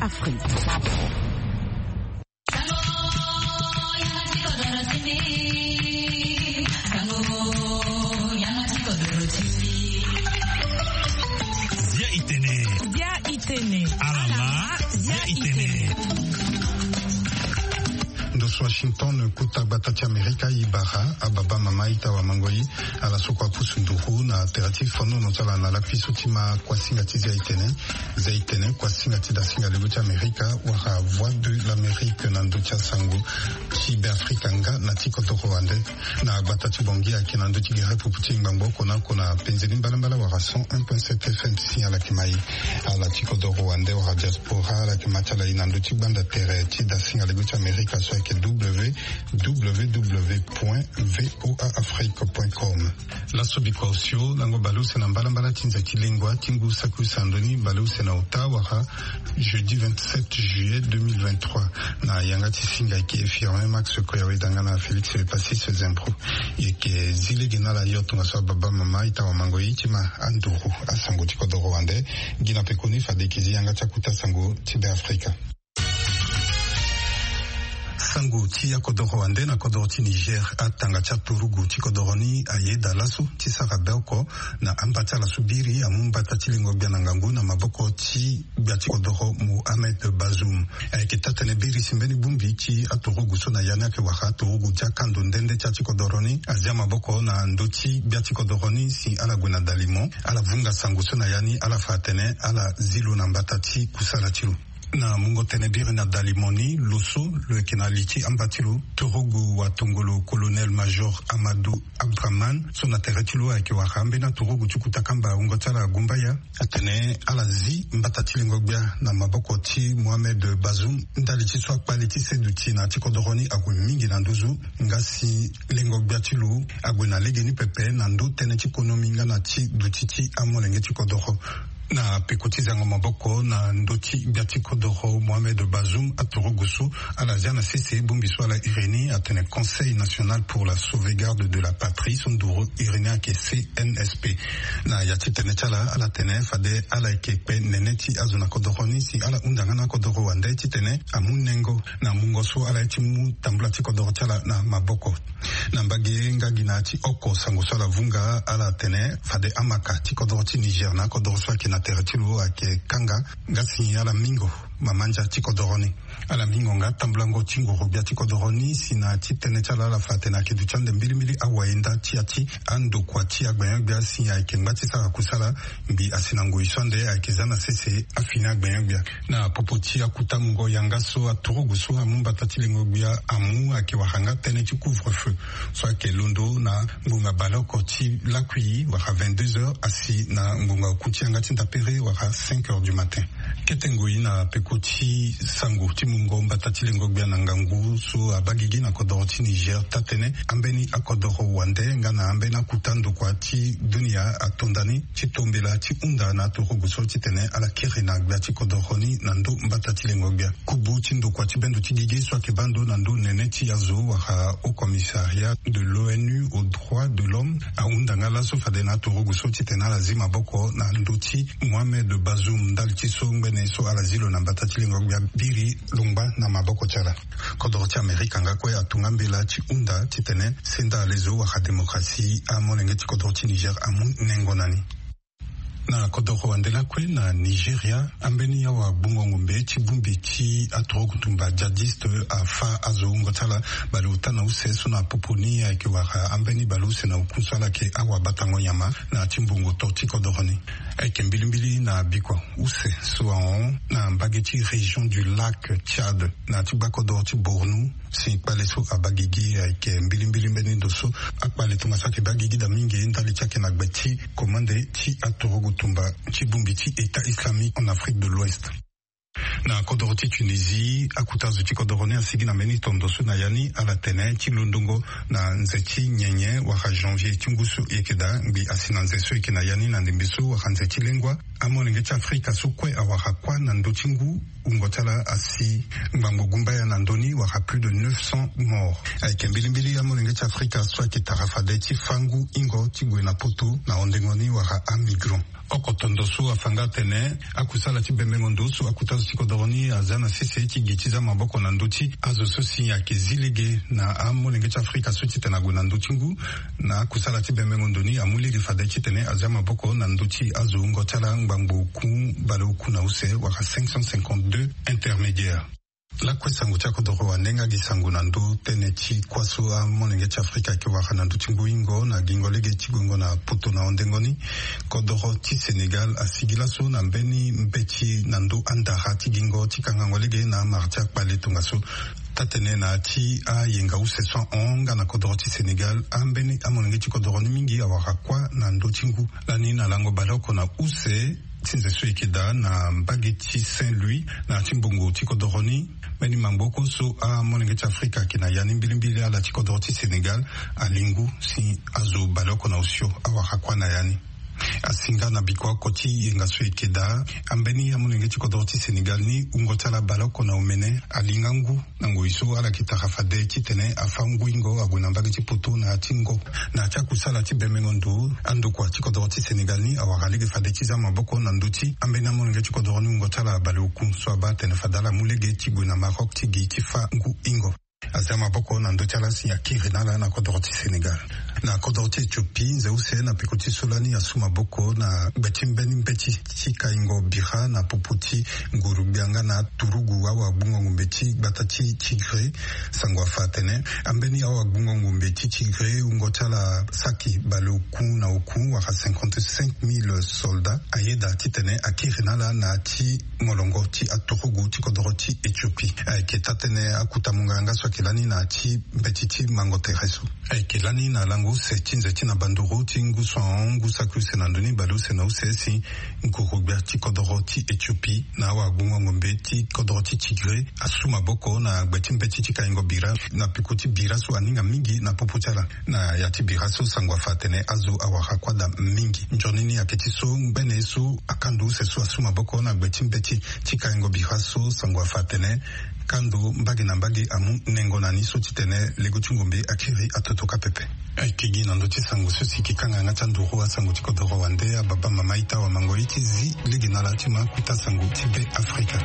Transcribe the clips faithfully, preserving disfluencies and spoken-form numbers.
Afrique. Zia itene. Zia itene. Alama. Zia itene. Ndo so Washington, kuta gbata ti Amerika, e bara ababa, mama, ita, wamango-i, ala so kua pusu nduru na tere ti fonono ti ala na lakui so ti ma kuasinga ti Zia itene. Zia itene, kuasinga ti dasinga lego ti Amerika, wala Voix de l'Amérique na ndö ti asango ti Beafrika nga na ti kodoro wande. Na gbata ti Bangui ayeke na ndö ti gere pupu ti ngbangbo oko na oko na penze ni mbalambala wala cent un point sept F M. Si ala yeke ma e, ala ti kodoro wande wala diaspora, ala yeke ma ti ala e na ndö ti gbanda tere ti dasinga lego ti Amerika so ayeke www point voa afrique point com. Laso bikua osio, lango baleuse na mbalambala ti nze ti lengua ti ngu saki use na ndö ni, baleuse na ota wala jeudi vingt-sept juillet deux mille vingt-trois. Na yanga ti singa ayeke Firmin Max Koyaweda nga na Félix Passis Zembro. E yeke zi lege na ala yo tongaso ababa, mama, ita, wamango-i, ti ma anduru asango ti kodoro wande. Gi na pekoni fade e yeke zi yanga ti akuta sango ti Beafrika. Sango ti akodoro wande na kodoro ti Niger. Atanga ti aturugu ti kodoro ni ayeda laso ti sara be oko na amba ti ala so biri amu mbata ti lengo gbia na ngangu na maboko ti gbia ti kodoro Mohamed Bazoum. Ayeke taa-tënë biri si mbeni bongbi ti aturugu so na ya ni ayeke wara aturugu ti akando nde nde ti atikodoro ni azia maboko na ndö ti gbia ti kodoro ni si ala gue na dalimo, ala vunga sango so na ya ni, ala fa atene ala zi lo na mbata ti kusala ti lo. Na mungo tene biri na dalimo ni, lo so lo yeke na li ti amba ti lo, turugu watongolo colonel major Amadou Abdraman, so na tere ti lo ayeke wara ambeni aturugu ti kuta kamba wungo ti ala Gumbaya, atene ala zi mbata ti lengo gbia na maboko ti Mohamed Bazoum ndali ti so akpale ti seduti na ti kodoro ni ague mingi na nduzu, nga si lengo gbia ti lo ague na legeni pepe na ndö tënë ti konomi nga na ti duti ti amolenge ti kodoro. Na peko ti zango maboko na ndö ti gbia ti kodoro Mohamed Bazoum, aturugu so ala zia na sese bongbi so ala iri ni atene Conseil National pour la Sauvegarde de la Patrie, so nduru iri ni ayeke C N S P. Na ya ti tene ti ala, ala tene fade ala yeke kpe nene ti azo na kodoro ni si ala hunda nga na akodoro wande titene amu nengo na mungo so ala ye ti mu tambula ti kodoro ti ala na maboko. Na mbage nga gi na ya ti oko sango so ala vunga, ala tene fade amaka ti kodoro ti Niger na akodoro so ayeke na tere ti lo ayeke kanga, nga si ala mingo mamandia ti kodoro ni. Ala mingo nga tambulango ti nguru gbia ti kodoro ni si na ya ti tënë ti ala, ala fa atene ayeke duti ande mbilimbili awayenda ti ya ti andokua ti agbenyo-gbia si ayeke ngba ti sara kusala, mbi asi na ngoi so ande ayeke za na sese afini agbenyo-gbia. Na popo ti akuta mungo yanga so aturugu so amu mbata ti lengo gbia amu ayeke wara nga tënë ti couvre-feu so ayeke londo na ngbonga baleoko ti lakui wala vingt-deux heures asi na ngbonga oku ti yanga ti ndapere wala cinq heures du matin. Kete ngoi na peko ti sango ti mungo mbata ti lengo gbia na ngangu so abaa gigi na kodoro ti Niger, taa-tënë ambeni akodoro wande nga na ambeni akuta ndokua ti dunia ato nda ni ti tombela ti hunda na aturugu so titene ala kiri na gbia ti kodoro ni na ndo mbata ti lengo gbia. Kubu ti ndokua ti bendo ti gigi so ayeke baa ndo na ndo nene ti azo wala Haut Commissariat de l'O N U aux droits de l'homme ahunda nga laso fade na aturugu so titene ala zi maboko na ndo ti Mohamed Bazoum ndali ti so ngbene so ala zi lo na mbata ti lengo gbia biri lo ngba na maboko ti ala. Kodoro ti Amerika nga kue atonga mbela ti hunda titene senda lezo wala démocratie amolenge ti kodoro ti Niger amu nengo na ni. Na kodoro wande lakue na Nigeria, ambeni awa gbungo ngombe ti bongbi ti aturugu tumba djihadiste afâ azo wungo ti ala baleota na use so na popo ni ayeke wara ambeni baleuse na oku so ala yeke awabatango nyama na ya ti mbongo to ti kodoro ni. Ayeke mbilimbili na bikua use so ahon na mbage ti région du lac Tchad na ya ti gbakodoro ti Borno. Si kpale so abaa gigi ayeke mbilimbili mbeni ndo so akpale tongaso ayeke baa gigi daa mingi ndali ti ayeke na gbe ti komande ti aturugu tumba ti bongbi ti État islamique en Afrique de l'Ouest. Na kodoro ti Tunisie, akuta zo ti kodoro ni asigi na mbeni tondo so na ya ni ala tene ti londongo na nze ti nyenye wala janvier ti ngu so e yeke daa ngbi asi na nze so e yeke na ya ni na ndembe so wala nze ti lengua. Amolenge ti Afrika so kue awara kuâ na ndö ti ngu, wungo ti ala asi ngbangbo gumbaya na ndö ni, wara plus de neuf cents morts. Ayeke mbilimbili amolenge ti Afrika so ayeke tara fade ti fâ ngu ingo ti gue na poto na hondengo ni wara amigrant. Oko tondo so afa nga atene akusala ti bembengo ndo so akuta zo ti kodoro ni aza na sese ti gi ti za maboko na ndö ti azo so si ayeke zi lege na amolenge ti Afrika so titene ague na ndö ti ngu. Na akusala ti bembengo ndo ni amu lege fade titene azia maboko na ndö ti azo wungo ti ala ngbangbo oku, baleoku na use wala cinq cent cinquante-deux intermédiaires. Lakue sango ti akodoro wande nga gi sango na ndö tënë ti kuâ so amolenge ti Afrika ayeke wara na ndö ti ngu ingo na gingo lege ti guengo na poto na hondengo ni. Kodoro ti Sénégal asigi laso na mbeni mbeti na ndö andara ti gingo ti kangango lege na amara ti akpale tongaso. Taa-tënë na ya ti ayenga use so ahon nga na kodoro ti Sénégal, ambeni amolenge ti kodoro ni mingi awara kuâ na ndö ti ngu. Lani na lango baleoko na use ti nze so e yeke daa na mbage ti Saint-Louis na ya ti mbongo ti kodoro ni, mbeni mangbo oko so amolenge ti Afrika ayeke na ya ni mbilimbili ala ti kodoro ti Sénégal ali ngu si azo baleoko na osio awara kuâ na ya ni. Asi nga na bikua oko ti yenga so e yeke daa, ambeni amolenge ti kodoro ti Sénégal ni wungo ti ala baleoko na omene ali nga ngu na ngoi so ala yeke tara fade titene afâ ngu ingo ague na mbage ti poto na ya ti ngo. Na ya ti akusala ti bembengo ndo, andokua ti kodoro ti Sénégal ni awara lege fade ti za maboko na ndö ti ambeni amolenge ti kodoro ni wungo ti ala baleoku so abaa atene fade ala mu lege ti gue na Maroc ti gi ti fâ ngu ingo. Azia maboko na ndö ti ala si akiri na ala na kodoro ti Sénégal. Na kodoro ti Éthiopie, nze use na peko ti so lani asu maboko na gbe ti mbeni mbeti ti kaingo bira na popo ti nguru-gbia nga na aturugu awagbungo-ngombe ti gbata ti Tigré. Sango afa atene ambeni awagbungo-ngombe ti Tigré wungo ti ala saki baleoku na oku wala cinquante-cinq mille soldats ayeda titene akiri na ala na ya ti molongo ti aturugu ti kodoro ti Éthiopie. Ayeke taa-tënë akuta monganga so ayeke lani na ya ti mbeti ti mango tere so. Ayeke lani na lango use ti nze ti na banduru ti ngu so ahon ngu saki use na ndö ni baleuse na use si nguru-gbia ti kodoro ti Éthiopie na awagbungo-ngombe ti kodoro ti Tigré asu maboko na gbe ti mbeti ti kaingo bira na peko ti bira so aninga mingi na popo ti ala. Na ya ti bira so sango afa atene azo awara kuâ daa mingi. Nzoni ni ayeke ti so ngbene ye so akando use so asu maboko na gbe ti mbeti ti kaingo bira so sango afa atene kando mbage na mbage amu nengo na ni so titene lego ti ngombe akiri atoto kâ pepe. Ayeke gi na ndö ti sango so si e yeke kanga yanga ti anduru asango ti kodoro wande. Ababa mama ita wamango ye ti zi lege na ala ti ma kuta sango ti Be Afrika.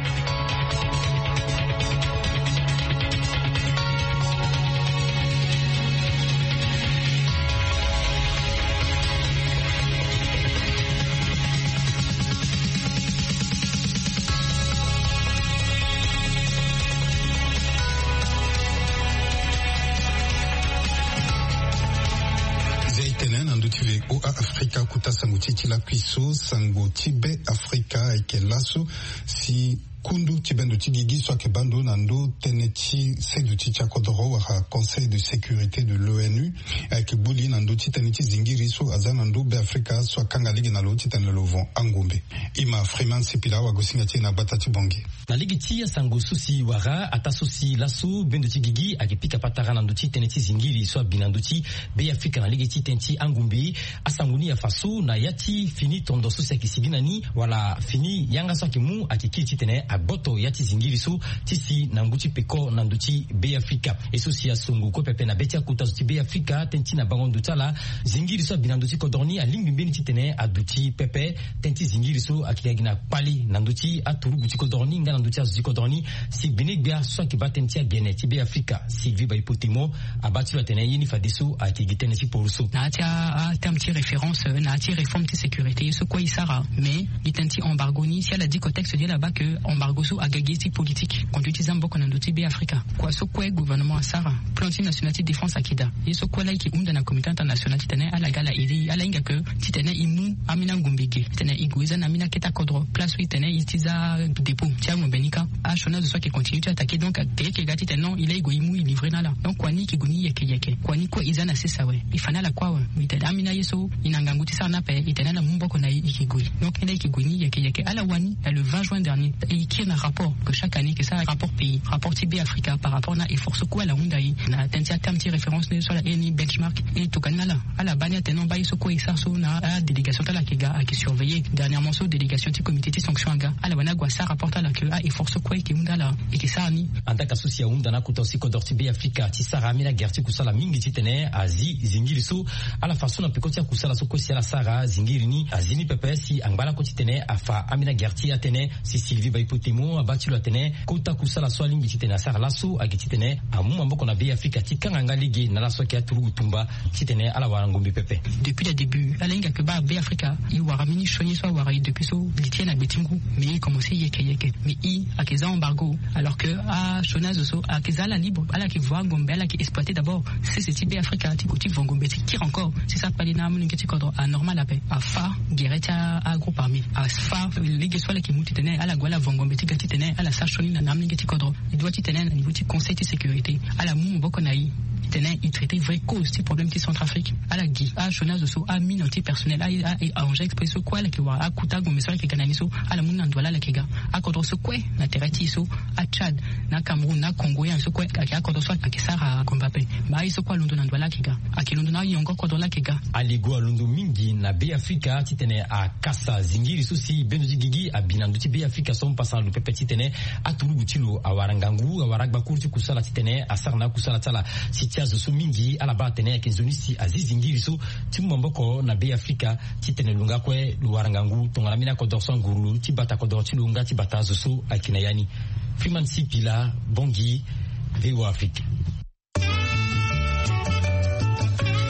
Zia e tene na ndö ti V O A Afrika kuta sango ti e ti lakui so. Sango ti Be Afrika ayeke laso si kundu ti bendo ti gigi so ayeke baa ndo na ndö tënë ti seduti ti akodoro wala Conseil de sécurité de l'O N U ayeke gbu li na ndö ti tënë ti zingiri so aza na ndö Be Afrika so akanga lege na lo titene lo von angombe. Ima Freeman Sipila awagosinga ti e na gbata ti Bangui. Na lege ti asango so si wara ataa so si laso bendo ti gigi ayeke pika patara na ndö ti tënë ti zingiri so abi na ndö ti Be Afrika na lege ti tënë ti angombe. Asango ni afa so na ya ti fini tondo so si ayeke sigi na ni wala fini yanga so ayeke mu ayeke kiri titene agboto ya ti zingiri so ti si na ngu ti peko na ndö ti Be Afrika. Ye so si asongo kue pepe na be ti akota zo ti Be Afrika tënë ti na bango ndo ti ala, zingiri so abi na ndö ti kodoro ni alingbi mbeni titene aduti pepe. Tënë ti zingiri so ayeke ga gi na kpale na ndö ti aturugu ti kodoro ni nga na ndö ti azo ti kodoro ni. Si gbene-gbia so ayeke baa tënë ti agene ti Be Afrika, Sylvie Baipotemo, abaa ti lo atene ye ni fadeso ayeke gi tënë ti poroso. Na ya ti a- a- terme ti référence, euh, na ya ti réforme ti sécurité ye so kue e sara. Mais gi tënë ti embargo ni si ala di contexte ni ala baa ke embargo so aga gi ye ti politique. Conduit ti za maboko na ndö ti Be Afrika. Kua so kue gouvernement asara, plan ti national ti défense ayeke daa. Ye so kue laa e yeke hunda na communauté internationale titene ala ga ala aide e, ala hinga ke titene e mu ambeni angombe ge titene e gue e za na ambeni akete akodro place so e tene e ti za dépôt ti angombe ni kâ. Siona zo so ayeke continue ti attaquer, donc ayeke ga titene non, e laa e gue e mu e livrer na ala. Donc kua ni e ke gue ni yeke yeke, kua ni kue e za na sese awe. E fa na ala kue awe. E tene ambeni aye so e na ngangu ti sara ni ape, e tene ala mu maboko na e, e ke gue. Donc e laa e ke gue ni yeke yeke. Ala wani na le vingt juin dernier, e kiri na rapport que chaque année e ke sara, rapport pays, rapport ti Be Afrika par rapport na effort so kue ala hunda e na tënë ti aterme ti référence ni so ala iri ni benchmark. E tokua ni na ala. Ala baa ni atene non, baa ye so kue e sara so na adélégation ti ala ayeke ga, ayeke surveiller. Dernièrement so délégation ti comité ti sanction aga, ala wani ague asara rapport ti ala que a-effort so kue e ke hunda ala e ke sara ni. Andaka so si ahunda na akota so si kodro ti Be Afrika ti sara ambeni agere ti kusala mingi titene azi zingiri so. Ala fa so na peko ti akusala so kue si ala sara zingiri ni azi ni pepe si angba lakue titene afa ambeni agere ti atene. Si Sylvie Baipotemo abaa ti lo atene kota kusala so alingbi titene asara laso ayeke titene amu maboko na Be Afrika ti kanga nga lege na ala so ayeke aturugu tumba titene ala wara ngombe pepe. Depuis le début ala hinga ke baa Be Afrika e wara mbeni sioni so awara e depuis so li ti e na gbe ti ngu. Mais e commencé yeke yeke. Mais e ayeke za embargo, alors que asioni azo so ayeke za ala libre, ala yeke vo angombe, ala yeke exploiter d'abord sese ti Be Afrika ti gue ti vo ngombe ti kiri encore. C'est ça kpali na amolenge ti kodro anormal ape. Afa gere ti agroupe armé, afa lege so ala yeke mu titene ala gue ala vo ngombe ti ga titene ala sara sioni na amolenge ti kodro. E doit titene na niveau ti conseil ti sécurité ala mu maboko na e titene e traiter vraie cause ti problème ti Centrafrique. Ala gi asioni azo so, amine anti personnel, a arranger exprès so kue ala yeke wara akuta ngombe so ala yeke ga na ni so, ala mu na ndo ala ala yeke ga. Akodro so kue na tere ti e so, aTchad, na Cameroun, na Congo, ye so kue ayeke akodro so ayeke sara ngombe ape. Baa ye so kue alondo na ndo ala ayeke ga, ayeke londo na ayongo kodro ala ayeke ga. Aligo alondo mingi na Be Afrika titene akasa zingiri so si bendo ti gigi abi na ndö ti Be Afrika so mpasa na lo pepe titene aturugu ti lo awara ngangu, awara agbakuru ti kusala titene asara na akusala ti ala. Si ti azo so mingi ala baa atene ayeke nzoni si azi zingiri so ti mu maboko na Be Afrika titene lo nga kue lo wara ngangu tongana mbeni akodro so anguru ti bata kodro ti lo nga ti bata azo so ayeke na ya ni. Freeman Sipila, Bangui, V O A Afrique.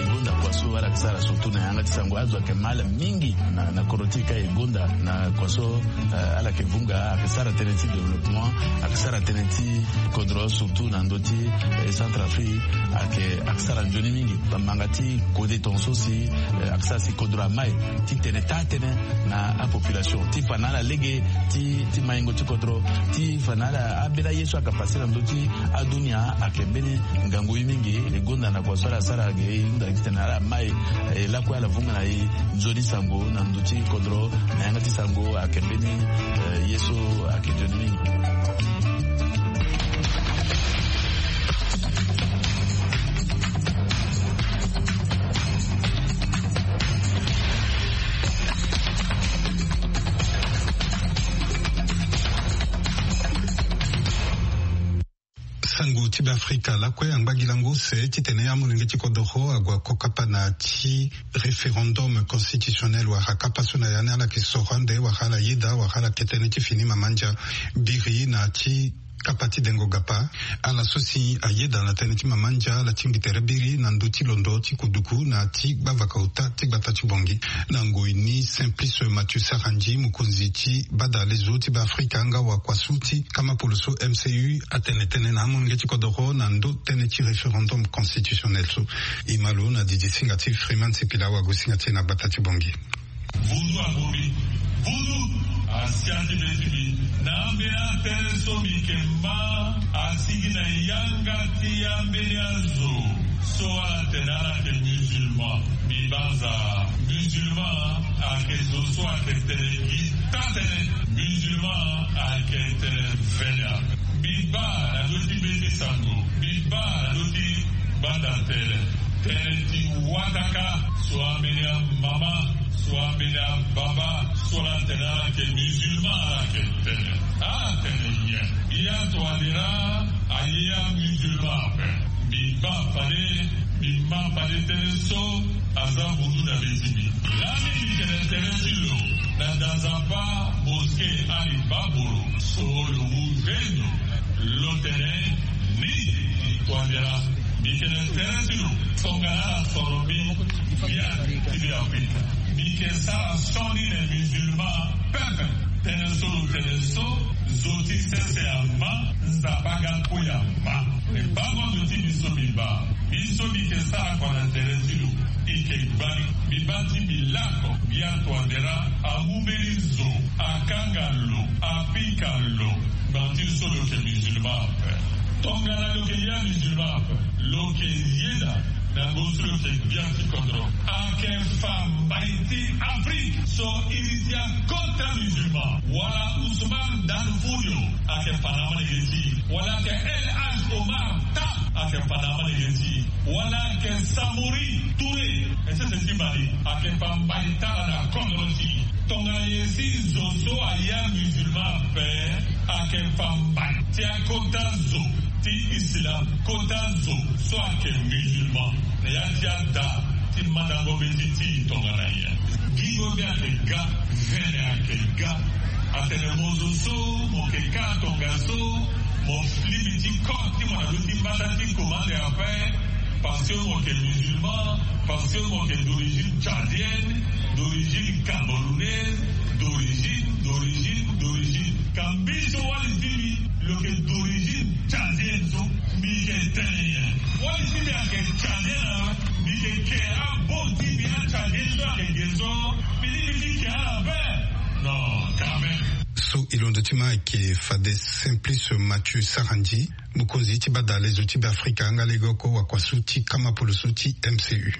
E gonda kua so ala yeke sara surtout na yanga ti sango, azo ayeke mal mingi na, na kodro ti e ka e gonda na kua so, eh, ala yeke vunga, ayeke sara tënë ti développement, ayeke sara tënë ti kodro surtout na ndö ti, eh, Centrafrique, ayeke, ayeke sara nzoni mingi. Bamanga ti kode tongaso si, eh, ayeke sara si kodro amai titene taa tënë na apopulation ti fa na ala lege ti, ti maingo ti kodro, ti fa na ala ambeni aye so ayeke pase na ndö ti adunia ayeke mbeni ngangu ye mingi. E gonda na kua so ala sara ge e hunda titene ala mai, eh, lakue ala vunga na e nzoni sango na ndö ti kodro na yanga ti sango ayeke mbeni, eh, ye so ayeke nzoni mingi. Sango ti Beafrika lakue angba gi lango use titene amolenge ti kodoro ague ako kapa na ti référendum constitutionnel wala kapa so na ya ni ala yeke soro ande wala ala yeda wala ala yeke tënë ti fini mama ndia biri na ti kapa ti dengo gapa. Ala so si ayeda na tënë ti mama ndia ala tingbi tere biri na ndö ti londo ti kuduku na ti gbavaka ota ti gbata ti Bangui. Na ngoi ni Simplice Mathieu Sarandji, mokonzi ti bada lezo ti Beafrika nga wakua so ti kama polo so M C U atene tënë na amolenge ti kodoro na ndö tënë ti référendum constitutionnel so. E ma lo na didi singa ti Freeman Sipila wagosinga ti e na gbata ti Bangui. Vundu abongbi, vundu asia ti be ti mbi. Na ambeni atënë so mbi yeke ma asigi na yanga ti ambeni azo so ala tene ala yeke musulman. Mbi banza musulman ayeke zo so ayeke tene gi taa tënë. Musulman ayeke tene vene ape. Mbi baa na ndö ti be ti sango, mbi baa na ndö ti gbanda tene, tënë ti wataka so ambeni amama, so ambeni ababa so ala tene ala yeke musulman ala yeke tene. Ala tene nyen? Atuadera aye amusulman ape. Mbi baa fade, mbi ma fade tënë so aza vundu na be ti mbi. Lani mbi tene tere ti lo na Dazapa mosquée Ali Babolo so lo mu zeno. Lo tene ni, Tuadera. Mbi tene tere ti lo tongana ala soro mbi via ti Beafrika. Mbi yeke sara sioni na musulman pepe. Tënë so lo tene so, zo ti sese ama, Nzapa ga kue ama. E bango zo ti mbi so mbi baa. Mbi so mbi yeke sara kua na tere ti lo, e yeke gbani. Mbi baa ti mbi lako, mbi atuadera, amu mbeni zo, akanga lo, apika lo. Gba ti so lo Lo yeke yeda musulman ape. Lo yeke yeda na ngu so lo yeke gbia ti kodro. Ayeke fa mbai ti Afrique so iri ti akota musulman. Wala Ousmane Dan Fodio ayeke fa na amalenge ti e. Wala ayeke El Hadj Omar Ta ayeke fa na amalenge ti e. Wala ayeke Samori Touré. Ese ese ti Mali ayeke fa mbai ti ala na kodro ti e. Tongana nyen si zo so aya musulman ape ayeke fa mbai ti akota zo ti islam, kota zo so ayeke musulman na ya ti ada ti mandango mbeti ti e tongana nyen? Gingo mbi ayeke ga, vene ayeke ga. Atene mo zo so mo yeke ka tongaso, mo lingbi ti kode ti mo na ndö ti mbata ti komande ape. Parce que mo yeke musulman, parce que mo yeke d'origine tchadienne, d'origine camerounaise, d'origine, d'origine, d'origine. Ka mbi so wali ti mbi lo yeke d'origine tchadienne so, mbi yeke tene nyen? Wali ti mbi ayeke tchadienne awe, mbi yeke ke abo ti mbi atchadienne so ayeke ge so, mbi lingbi ti ke ala ape? Non, quand même. So e londo ti ma ayeke fade Simplice Mathieu Sarandji, mokonzi ti badalezo ti Beafrika nga lege oko wakuasu ti kama poloso ti M C U.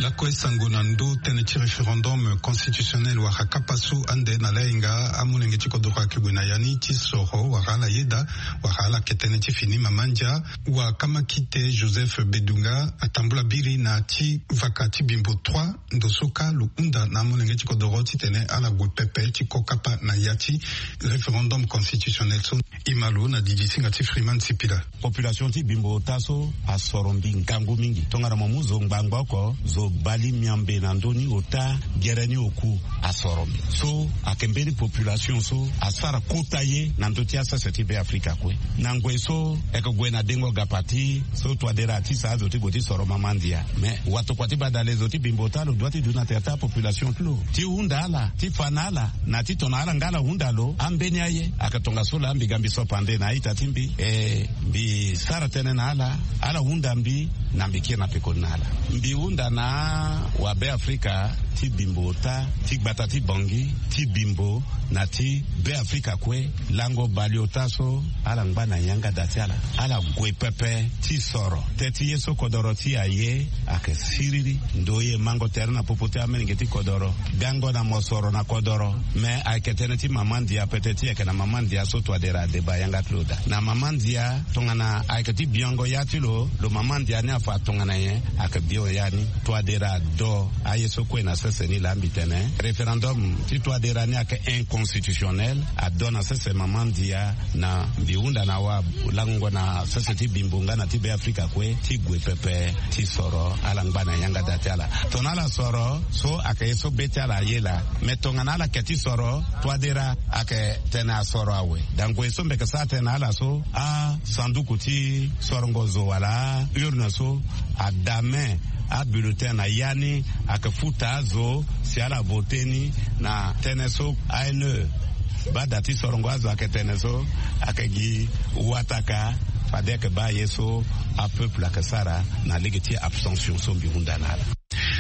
Lakue sango na ndö tënë ti référendum constitutionnel wala kapa so ande na layenga amolenge ti kodoro ayeke gue na ya ni ti soro wala ala yeda wala ala yeke tënë ti fini mama ndia. Wa kamakite Joseph Bedunga atambula biri na ti vaka ti bimbo trois ndo so kâ lo hunda na amolenge ti kodoro titene ala gue pepe ti ko kapa na ya ti référendum constitutionnel so. E ma lo na didi singa ti Freeman Sipila. Population ti bimbo ota so asoro mbi ngangu mingi. Tongana mo mu zo ngbangba oko, zo bale miambe na ndö ni ota gere ni oku asoro mbi. So ayeke mbeni population so asara kota ye na ndö ti asese ti Beafrika kue. Na ngoi so e yeke gue na dengo gapa ti so Touadéra ti sa azo ti gue ti soro mama ndia. Mais watokua ti badalezo ti bimbo ota lo dua ti duti na tere ti apopulation ti lo ti hunda ala, ti fa na ala, na ti tongana ala nga ala hunda lo. Ambeni aye ayeke tongaso laa mbi ga mbi sopa nde na a-ita ti mbi. E, mbi sara tënë na ala, ala hunda mbi, na mbi kiri na pekoni na ala. Mbi hunda na wabeafrika ti bimbo ota, ti gbata ti Bangui, ti bimbo na ti Beafrika kue, lango baleota so ala ngba na yanga da ti ala, ala gue pepe ti soro. Teti ye so kodoro ti e aye ayeke siriri. Ndoye mango tere na popo ti amolenge ti kodoro, gango na mosoro na kodoro. Me ayeke tënë ti mama ndia, pete ti e ayeke na mama ndia so Touadéra adeba yanga ti lo daa. Na mama ndia, tongana ayeke ti biango ya ti lo, lo mama ndia ni afa tongana nyen? Ayeke bio ya ni. Touadéra ado aye so kue na sese ni laa mbi tene référendum ti Touadéra ni ayeke inconstitutionnel. Ado na sese mama ndia. Na mbi hunda na wa lango na sese ti bimbo nga na ti Beafrika kue ti gue pepe ti soro ala ngba na yanga da ti ala. Tongana ala soro so ayeke ye so be ti ala aye laa. Me tongana ala yeke ti soro, Touadéra ayeke tene asoro awe. Dangoi so mbi yeke sara tënë na ala so, asanduku ti sorongo zo wala aurne so adame abulletin na ya ni, ayeke futa azo si ala vote ni na tënë so A N E. Baa da ti sorongo azo ayeke tene so, ayeke gi wataka. Fade ayeke baa ye so apeuple ayeke sara na lege ti abstention so mbi hunda na ala.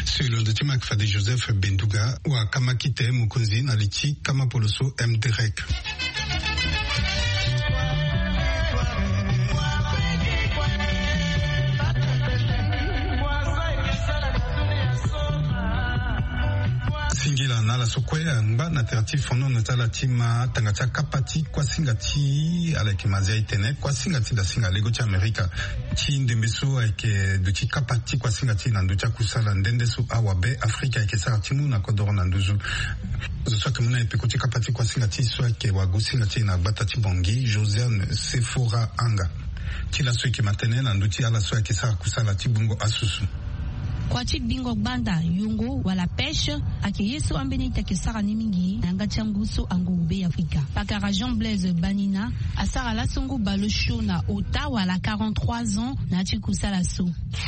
So e londo ti ma ayeke fade Joseph Benduga, wa kamakite mokonzi na li ti kama poloso M D R E C. Singila na ala so kue angba na tere ti fonono ti ala ti ma tanga ti akapa ti kuasinga ti ala yeke ma nzia e tene kuasinga ti dasinga lego ti Amerika. Ti ndembe so ayeke duti kapa ti kuasinga ti e na ndö ti akusala nde nde so awabe Afrika ayeke sara ti mu na kodoro na nduzu. Zo so ayeke mu na e peko ti kapa ti kuasinga ti e so ayeke wagosinga ti e na gbata ti Bangui, Josiane Sephora Anga. Ti laso e yeke ma tënë na ndö ti ala so ayeke sara kusala ti gbungo asusu. Kua ti bingo gbanda, yongo wala pêche, ayeke ye so ambeni ita ayeke sara ni mingi na yanga ti angu so anguru be ya Afrika. Pakara Jean Blaise Banina asara laso ngu balo sio na ota wala quarante-trois ans na ya ti kusala so.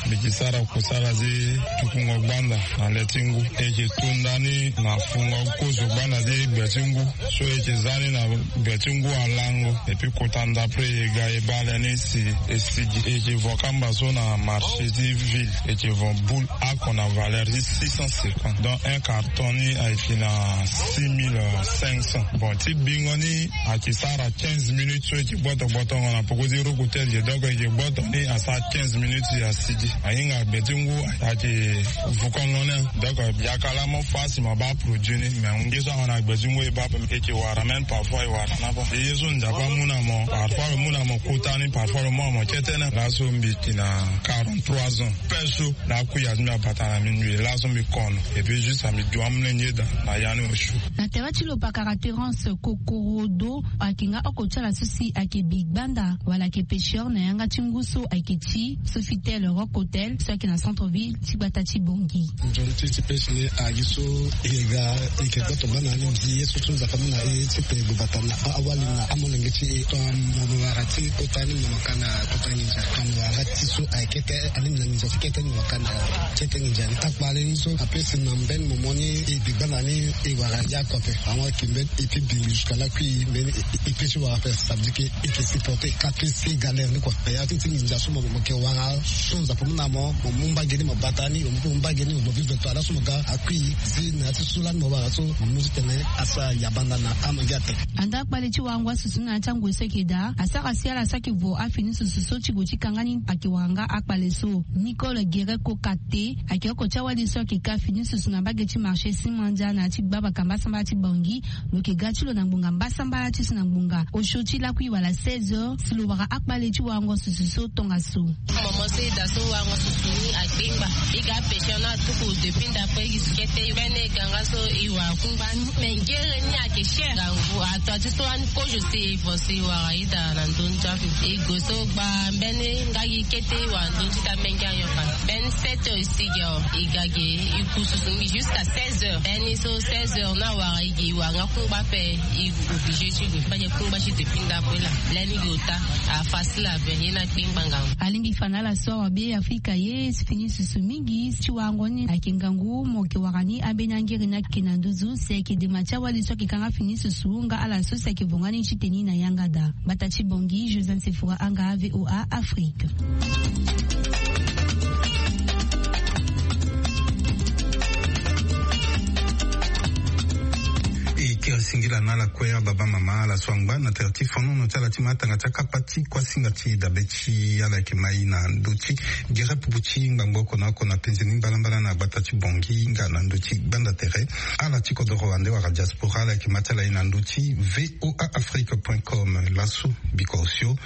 Mbi yeke sara kusala ti tukungo gbanda na le ti ngu. E yeke tu ndani na fungo kozo gbanda ti gbe ti ngu so e yeke za ni na gbe ti ngu alango. Et puis kota ndapre e ga e baa le ni si e sigi. E yeke vo kamba so na marché ti ville, e yeke vo boule ako na valeur ti six cent cinquante, donc un carton ni ayeke na six mille cinq cents. Bon, ti bingo ni ayeke sara quinze minutes so e yeke gboto gbotongo na poko ti roko ti e. Donc e yeke gboto ni asara quinze minutes asigi. Ahinga gbe ti ngu ayeke vukongo ni. Donc yaka laa mo fa si mo baa produit ni, mais nge so ahon na gbe ti ngu e baa ape. E yeke wara même parfois e wara ni ape. E ye so Nzapa amu na mo, parfois lo mu na mo kota ni, parfois lo mu na mo kete ni. Laso mbi yeke na quarante-trois ans. Pêche so na akui azo mbi abata na minuit laso mbi kono. Et puis juste mbi du amolenge daa na ya ni osio. Na tere ti lo pakara Terence Kokorodo ayeke nga oko ti ala so si ayeke bi gbanda wala ayeke pêcheur na yanga ti ngu so ayeke ti Sofitel Rock Hotel so ayeke na centre ville ti gbata ti Bangui. Nzoni ti ti pêche ni agi so e ga e yeke gboto gbanda ni, mbi ye so so Nzapa amu na e ti pe gbata na awali na amolenge ti e. Tongana mo wara ti kota ni mo ka na kota nginza. Tongana mo wara ti so ayeke kete alingbi na nginza ti kete ni mo ka na kete nginza ni. Akpale ni so apesi na mbeni momo ni e bi gbanda ni e wara ya oko ape. Awa ayeke mbeni e ti bi jusqu'à lakui mbeni e pesi wara ape. Ça veut dire que e yeke supporter kâ ti galère ni kua. Ya ti ti nginza so mo mo yeke wara so Nzapa amu na mo, mo mu mbage ni mo bata ni, mo mu mbage ni mo vivre to ala so mo ga akui zi na ya ti so lani mo wara so mo mu ti tene asara yabanda na amange ape. Anda akpale ti warango asusu na ya ti angoi so ayeke daa asara si ala so ayeke vo afini susu so ti gue ti kanga ni ayeke wara nga akpale so. Nicole Guerre Kokate ayeke oko ti awali so ayeke ka fini susu na mbage ti marché Simandia na ya ti gbabaka mbasambala ti Bangui. Lo yeke ga ti lo na ngbonga mbasambala ti so na ngbonga osio ti lakui wala seize heures si lo wara akpale ti warango susu so tongaso. Momo so e daa so warango susu ni akpengba. E ga pêcheur ni atuku depuis ndapre gi kete mbeni e ga nga so e wara kungba ni. Me ngere ni ayeke cher. Ngangu ato ti so ani kozo si e vo si e wara e daa na ndö ni ti ape. E gue so gba mbeni nga gi kete e wara ndö ni ti daa menge anyoka. Mbeni sept heures e sigi awe e ga ge e ku susu mingi jusqu'à seize heures. Mbeni so seize heures ni awara e ge e wara nga kungba ape. E obligé ti gue fade kungba ti depuis ndapre laa. Lani ge ota afacile ape. Ye ni akpengba ngangu. Alingbi fa na ala so awa be Afrika ye fini susu mingi ti warango ni ayeke ngangu mo yeke wara ni ambeni angere ni ayeke na nduzu si ayeke dema ti awali so ayeke kanga fini susu nga ala so si ayeke vo nga ni ti teni na yanga daa. Gbata ti Bangui, Josiane Sefora Anga, V O A Afrique. E kiri singila na ala kue ababa mama ala so angba na tere ti fonono ti ala ti matanga ti akapa ti kuasinga ti dabe ti ala yeke mai na ndö ti gere pupu ti ngbangbo oko na oko na penze ni mbalambala na gbata ti Bangui nga na ndö ti gbanda tere. Ala ti kodoro ande wala diaspora ala yeke ma ti ala ye na ndö ti V O A Afrique point com. Laso biko osio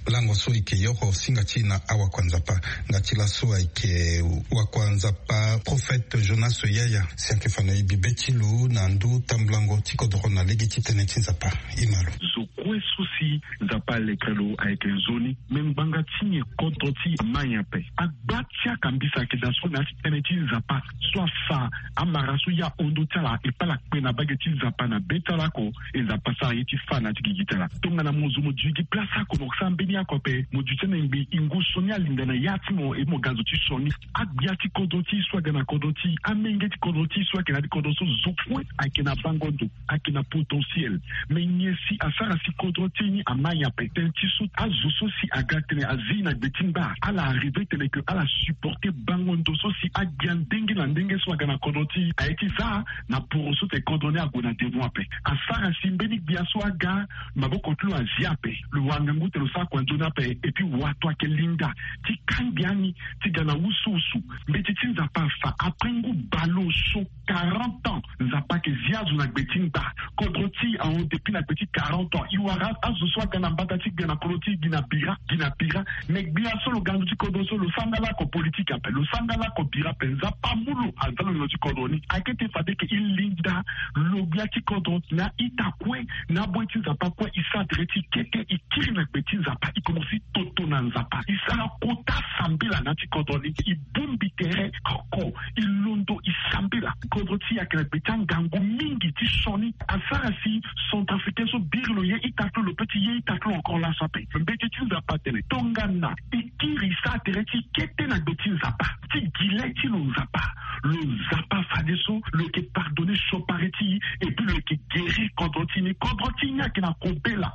lango so e yeke yoro singa ti e na awakua Nzapa. Nga ti laso ayeke wakua Nzapa prophète Jonas Yaya si ayeke fa na e bibe ti lo na ndö tambulango ti kodoro na lege ti tënë ti Nzapa. E ma lo. Zo kue so si Nzapa alekere lo ayeke nzoni. Me ngbanga ti nyen kodro ti e amai ape? Agba ti akambisa ayeke daa so na ya ti tënë ti Nzapa so afa amara so ya hon ndö ti ala e pala kpe na mbage ti Nzapa na be ti ala oko. E Nzapa asara ye ti fâ na ya ti gigi ti ala. Tongana mo zo mo dui gi place oko mo sara mbeni oko ape mo dui ti ana ngbi e ngu sioni alinda na ya ti mo e mo ga zo ti sioni. Agbia ti kodro ti e so aga na kodro ti e, amenge ti kodro ti e so ayeke na ya ti kodro so zo kue ayeke na bango ndo. Ayeke na potentiel. Me nyen si asara si kodro ti e ni amai ape? Tënë ti so azo so si aga tene azi na gbe ti ngba ala arrive tene ke ala supporter bango ndo so si agbia ndenge na ndenge so aga na kodro ti e aye ti za na poro so tene kodro ni ague na devant ape. Asara si mbeni gbia so aga maboko ti lo azi ape. Lo wara ngangu tene lo sara kua nzoni ape. Et puis wato ayeke linda ti kangbi ani ti ga na wusuwusu. Mbeti ti Nzapa afa après ngu baleoso quarante ans. Nzapa ayeke zi azo na gbe ti ngba. Kodro ti e ahon depuis na gbe ti quarante ans. E wara azo so aga na mbata ti gbe na kodro ti e gi na bira gi na bira. Me gbia so lo ga na ndö ti kodro so lo sara nga lako politique ape, lo sara nga lako bira ape. Nzapa amu lo aza lo na lo ti kodro ni. Ayeke ti fade ke e linda lo gbia ti kodro na ita kue na aboyi ti Nzapa kue. E sara tere ti kete e kiri na gbe ti Nzapa. e komanse toto na Nzapa. E sara kota sambela na ya ti kodro ni. E bongbi tere oko, e londo e sambela. Kodro ti e ayeke na gbe ti angangu mingi ti sioni. Asara si centrafricain so biri lo ye ita ti lo, lo pe ti ye ita ti lo encore laso ape. Mbeti ti Nzapa atene tongana e kiri, e sara tere ti kete na gbe ti Nzapa, ti gi le ti lo Nzapa. Lo Nzapa fadeso lo yeke pardonner siokpari ti e, et puis lo yeke guérir kodro ti e ni. Kodro ti e ni ayeke na kobela.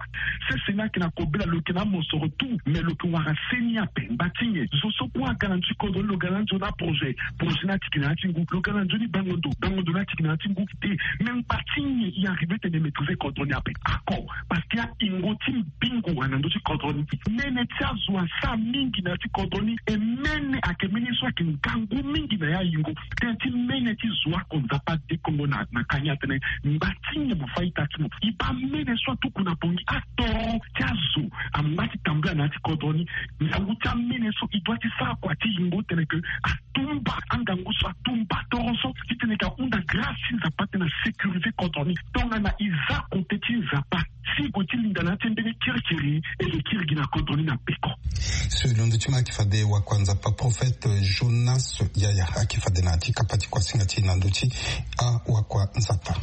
Sese ni ayeke na kobela, lo yeke na amosoro tout, mais lo yeke wara seni ape. Ngba ti nyen? Zo so kue aga na ndö ti kodro ni, lo ga na nzoni aprojet, projet ni atiki na ya ti ngu. Lo ga na nzoni bango ndo, bango ndo ni atiki na ya ti ngu. Te, mais ngba ti nyen e arrive tene e maîtriser kodro ni ape? Ako, parce que ayingo ti mbingo wara na ndö ti kodro ni. Mene ti azo asara mingi na ya ti kodro ni, e mene ayeke mene so ayeke ngangu mingi na ya yingo. Tënë ti mene ti zo oko Nzapa adekongo na, na kani atene ngba ti nyen mo fâ ita ti mo. E baa mene so atuku na Bangui, atoro ti azo angba ti tambula na ya ti kodro ni. Ngangu ti amene so e doit ti sara kua ti yingo tene ke atumba angangu so, atumba toro so, titene ke ahunda grâce ti Nzapa tene asécuriser kodro ni. Tongana e za kote ti Nzapa, si e gue ti linda na ya ti mbeni kirikiri, e yeke kiri gi na kodro ni na peko. So e londo ti mo ayeke fade wakua Nzapa prophète Jonas Yaya ayeke fade na ya ti kapa ti kuasinga ti e na ndö ti awakua Nzapa.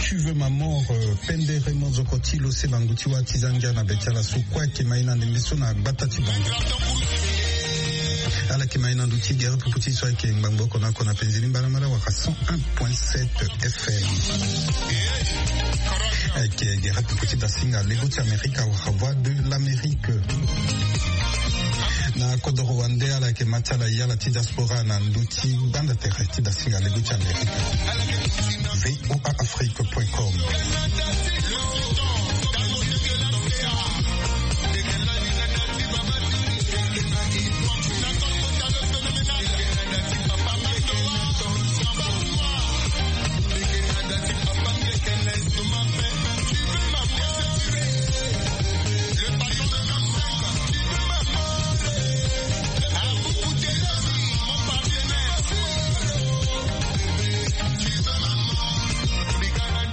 Tu veux ma mort, euh, pendere mozoko ti lo se bangu ti wa ti za ngia na be ti ala so kue ayeke ma e na ndembe so na gbata ti bango. Ala yeke ma e na ndö ti gere pupu ti so ayeke ngbangbo oko na oko na penze ni mbalambala wala cent un point sept F M. Ayeke gere pupu ti dasinga lego ti Amerika wala Voix de l'Amérique. Na kodoro wande ala yeke ma ti ala ye ala ti diaspora na ndö ti gbanda tere ti dasinga lego ti Amerika. V O A Afrique point com.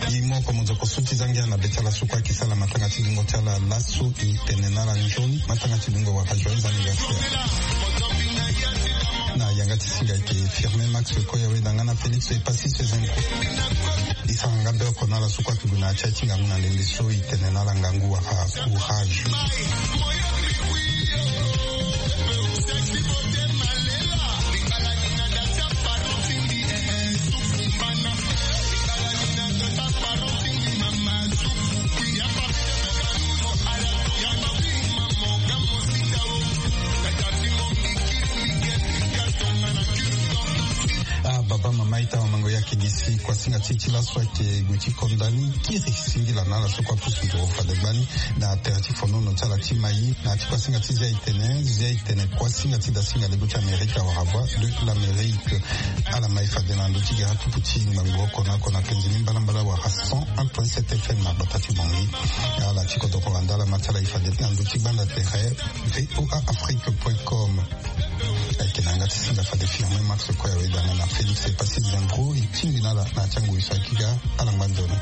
E moko mozoko so ti za ngia na be ti ala so kue ayeke sara matanga ti dungo ti ala laso e tene na ala nzoni matanga ti dungo wala joyeux anniversaire. Na yanga ti singa ayeke Firmin Max Koyawe na nga na Félix Epassis Zenko. E sara nga be oko na ala so kue ayeke gue na ya ti aye ti ngangu na ndembe so e tene na ala ngangu wala courage. Ah, baba, mama, ita, wamango, ya Kigisi kuasinga ti ti laso ayeke gue ti konda ni kiri singila na ala so kue apusu nduru fade gbani na tere ti fonono ti ala ti mai. Na ya ti kuasinga ti zia itene zia itene kuasinga ti dasinga lego ti amerika wara voix de l'amérique. Ala mai fade na ndö ti gara tupu ti ngbangbo oko na oko na penze ni mbalambala wara cent un point sept fm na gbata ti bongi. Ala ti kodoko wanda ala ma ti ala e fade na ndö ti gbanda tere. Voa afrique point com. Ayeke na yanga ti singa fade firme max kue awe danga na félix epasi zembro e tingbi na ala na ya ti angoi so ayeke ga. Ala ngba nzoni.